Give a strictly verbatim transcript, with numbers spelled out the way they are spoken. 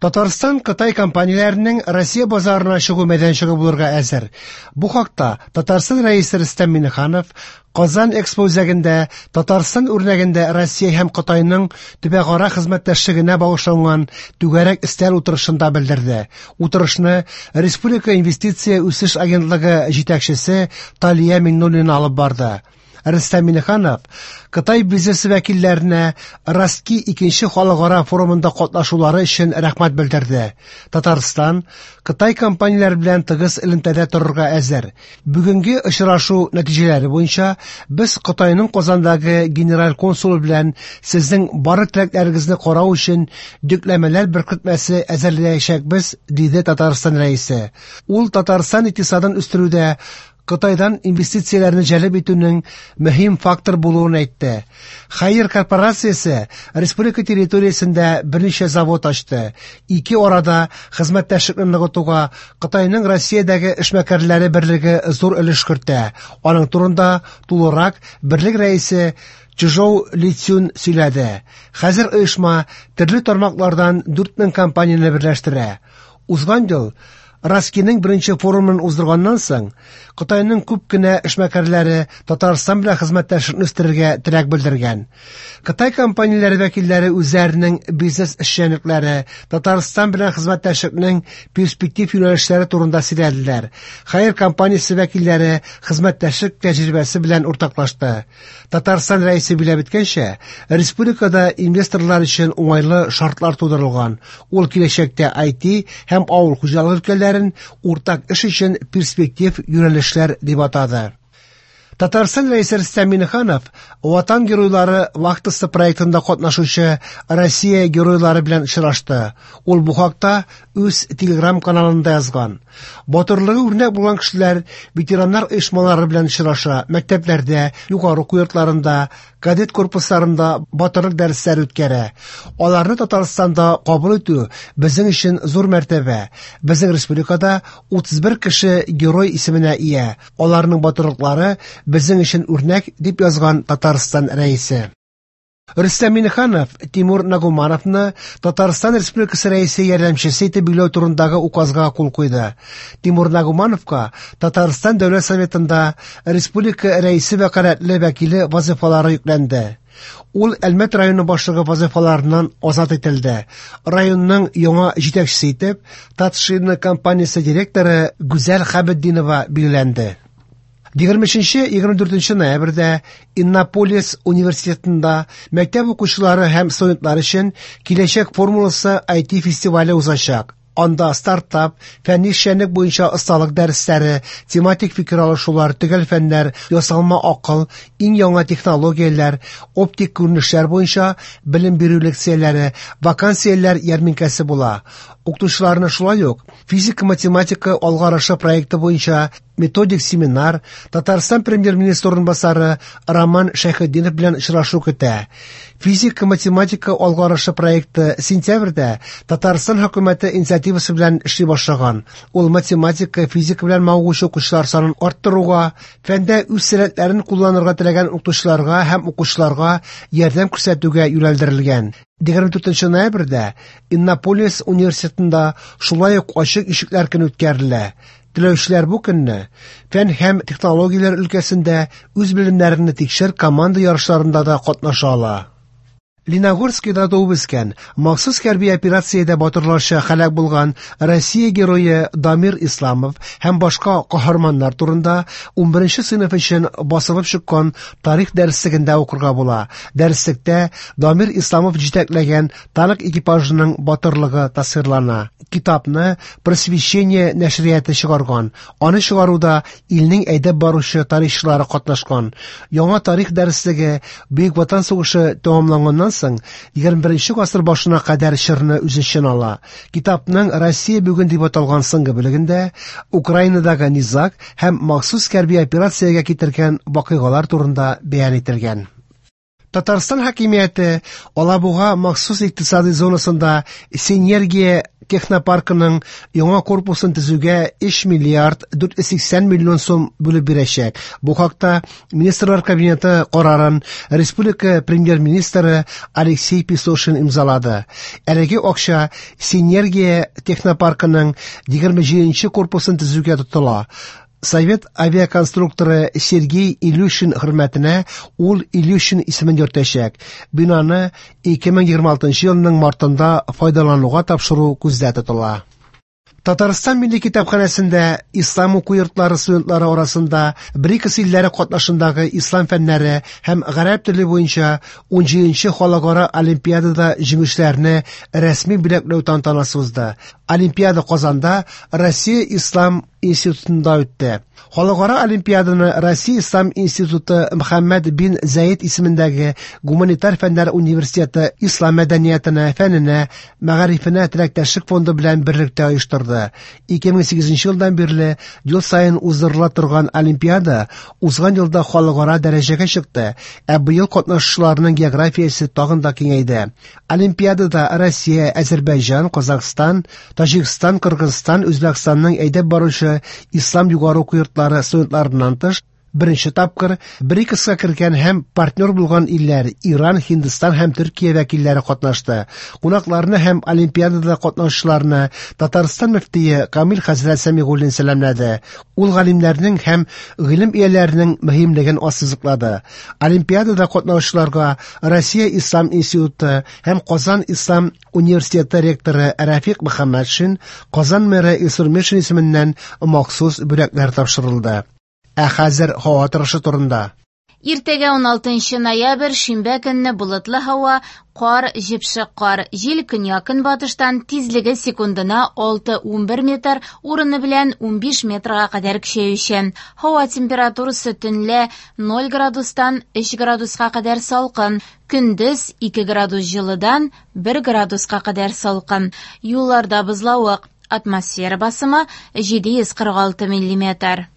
Татарстан Кытай компанияләренең Россия базарына чыгу мәйданчыгы булырга әзер. Бу хакта Татарстан Рәисе Рөстәм Миңнеханов Казан Экспо үзәгендә Татарстан үрнәгендә Россия һәм Кытайның төбәкара хезмәттәшлегенә багышланган түгәрәк өстәл утырышында белдерде. Утырышны Республика инвестиция үсеш агентлыгы җитәкчесе Талия Миңнуллина алып барды. Рөстәм Миңнеханов Кытай бизнесы вәкилләренә Ростки икенче халыкара форумында катнашулары өчен рәхмәт белдерде. Татарстан Кытай компанияләре белән тыгыз элемтәдә торырга әзер. Бүгенге очрашу нәтиҗәләре буенча без Кытайның Казандагы генераль консулы белән сезнең барлык теләкләрегезне карау өчен йөкләмәләр беркетмәсе әзерләячәкбез, диде Татарстан Рәисе. Ул Татарстан икътисадын үстерүдә Кытайдан инвестицияләрне җәлеп итүнең мөһим фактор булуын әйтте. Хайер корпорациясе республика территориясендә берничә завод ачты. Ике арада хезмәттәшлекне ныгытуга Кытайның Россиядәге эшмәкәрләре берлеге зур өлеш кертә. Аның турында тулырак берлек рәисе Чжоу Лицюн сөйләде. Хәзер оешма төрле тармаклардан дүрт мең компанияне берләштерә. Узган ел Ростскиның беренче форумын уздырганнан соң, Кытайның күп кенә эшмәкәрләре Татарстан белән хезмәттәшлекне үстерергә теләк белдергән. Кытай компанияләре вәкилләре үзләренең бизнес эшчәнлекләре, Татарстан белән хезмәттәшлекнең перспектив юнәлешләре турында сөйләделәр. Хайер компаниясе вәкилләре хезмәттәшлек тәҗрибәсе белән уртаклашты. Татарстан Рәисе билгеләп үткәнчә, республикада инвесторлар өчен уңайлы шартлар тудырылган. Ул киләчәктә ай ти һәм авыл хуҗалыгы өлкәләрен уртак эш өчен перспектив юнәлешләр дип атады. Татарстан Рәисе Рөстәм Миңнеханов Ватан геройлары вахтасы проектында катнашучы Россия геройлары белән очрашты. Ул бу хакта үз Телеграм каналында язган. Батырлыгы үрнәк булган кешеләр ветераннар оешмалары белән очраша, мәктәпләрдә, югары уку йортларында, кадет корпусларында батырлык дәресләре үткәрә. Аларны Татарстанда кабул итү безнең өчен зур мәртәбә. Безнең республикада утыз бер кеше герой исеменә ия. Аларның батырлыклары безнең өчен үрнәк, дип язган Татарстан Рәисе. Рөстәм Миңнеханов Тимур Нагумановны Татарстан Республикасы Рәисе ярдәмчесе итеп билгеләү турындагы указга кул куйды. Тимур Нагумановка Татарстан Дәүләт Советында Республика Рәисе вәкаләтле вәкиле вазифалары йөкләнде. Ул Әлмәт районы башлыгы вазифаларыннан азат ителде. Районның яңа җитәкчесе итеп Татшина компаниясе директоры Гүзәл Хәбетдинова билгеләнде. Егерме өченче, егерме дүртенче ноябрьдә Иннополис университетында мәктәп укучылары һәм студентлар өчен Киләчәк формуласы ай ти фестивале узачак. Анда стартап, фәнни эшчәнлек буенча осталык дәресләре, тематик фикер алышулар, төгәл фәннәр, ясалма акыл, иң яңа технологияләр, оптик күренешләр буенча белем бирү лекцияләре, вакансияләр ярминкәсе була. Укытучыларны шулай ук физика-математика алгарышы проекты буенча методик семинар Татарстан премьер-министры урынбасары Роман Шәйхетдинов белән очрашу көтә. Физика-математика алгарышы проекты сентябрьдә Татарстан хөкүмәте инициативасы белән эшли башлаган. Ул математика, физика белән мавыгучы укучылар санын арттыруга, фәндә үз сәләтләрен кулланырга теләгән укытучыларга һәм укучыларга ярдәм күрсәтүгә юнәлдерелгән. Егерме дүртенче ноябрьдә Иннополис университетында шулай ук ачык ишекләр көне үткәрелә. Теләүчеләр бу көнне фән һәм технологияләр өлкәсендә үз белемнәрен тикшер команда ярышларында да катнаша ала. Леногорскида туып үскән, махсус хәрби операциядә батырларча һәлак булган Россия герое Дамир Исламов һәм башка каһарманнар турында унберенче сыйныф өчен басылып чыккан тарих дәреслегендә укырга була. Дәреслектә Дамир Исламов җитәкләгән танк экипажының батырлыгы тасвирлана. Китапны Просвещение нәшрияты чыгарган. Аны чыгаруда илнең әйдәп баручы тарихчылары катнашкан. Яңа тарих дәреслеге Бөек Ватан сугышы тәмамланганнан соң егерме беренче гасыр башына кадәр чорны үз эченә ала. Китапның Россия бүген дип аталган соңгы бүлегендә Украинадагы низаг һәм махсус хәрби операциягә китергән вакыйгалар турында бәян ителгән. Татарстан хакимияте Алабуга махсус икътисади зонасында Синергия технопаркының яңа корпусын төзүгә өч миллиард дүрт йөз сиксән миллион сум бүлеп бирәчәк. Бу хакта Министрлар Кабинеты карарын республика премьер-министры Алексей Песошин имзалады. Әлеге акча Синергия технопаркының егерме җиденче корпусын төзүгә тотыла. Совет авиаконструкторы Сергей Илюшин хөрмәтенә ул Илюшин исемен йөртәчәк. Бинаны ике мең егерме алтынчы елның мартында файдалануга тапшыру күздә тотыла. Татарстан Милли китапханәсендә ислам уку йортлары студентлары арасында БРИКС илләре катнашындагы ислам фәннәре һәм гарәп теле буенча унҗиденче халыкара олимпиадада җиңүчеләрне рәсми бүләкләү тантанасы узды. Олимпиада Казанда Россия Ислам институтында үтте. Халыкара олимпиаданы Россия Ислам институты Мөхәммәд бин Заид исемендәге Гуманитар фәннәр университеты ислам мәдәниятенә, фәненә, мәгарифенә теләктәшлек фонды белән берлектә оештырды. Ике мең сигезенче елдан бирле ел саен уздырыла торган олимпиада узган елда халыкара дәрәҗәгә чыкты, ә быел катнашучыларның географиясе тагын да киңәйде. Олимпиадада Россия, Азербайҗан, Казахстан, Таҗикстан, Кыргызстан, Үзбәкстанның әйдәп баручы ислам югары уку йортлары студентларыннан тыш, беренче тапкыр БРИКСка кергән һәм партнер булган илләр Иран, Һиндстан һәм Төркия вәкилләре катнашты. Кунакларны һәм олимпиадада катнашучыларны Татарстан мөфтие Камил хәзрәт Сәмигуллин сәламләде. Ул галимнәрнең һәм гыйлем ияләренең мөһимлеген ассызыклады. Олимпиадада катнашучыларга Россия Ислам институты һәм Казан Ислам университеты ректоры Рафик Мөхәммәтшин, Казан мэры Илсур Метшин исеменнән махсус бүләкләр тапшырылды. Ә хәзер һава торышы турында. Иртәгә уналтынчы ноябрь, шимбә көнне болытлы һава, кар, җепшек кар, җил көньяк-көнбатыштан тизлеге секундына алты-унбер метр, урыны белән унбиш метрга кадәр көчәючән. Һава температурасы төнлә ноль градустан өч градуска кадәр салкын, көндез ике градус җылыдан бер градуска кадәр салкын. Юлларда бозлавык, атмосфера басымы җиде йөз кырык алты миллиметр.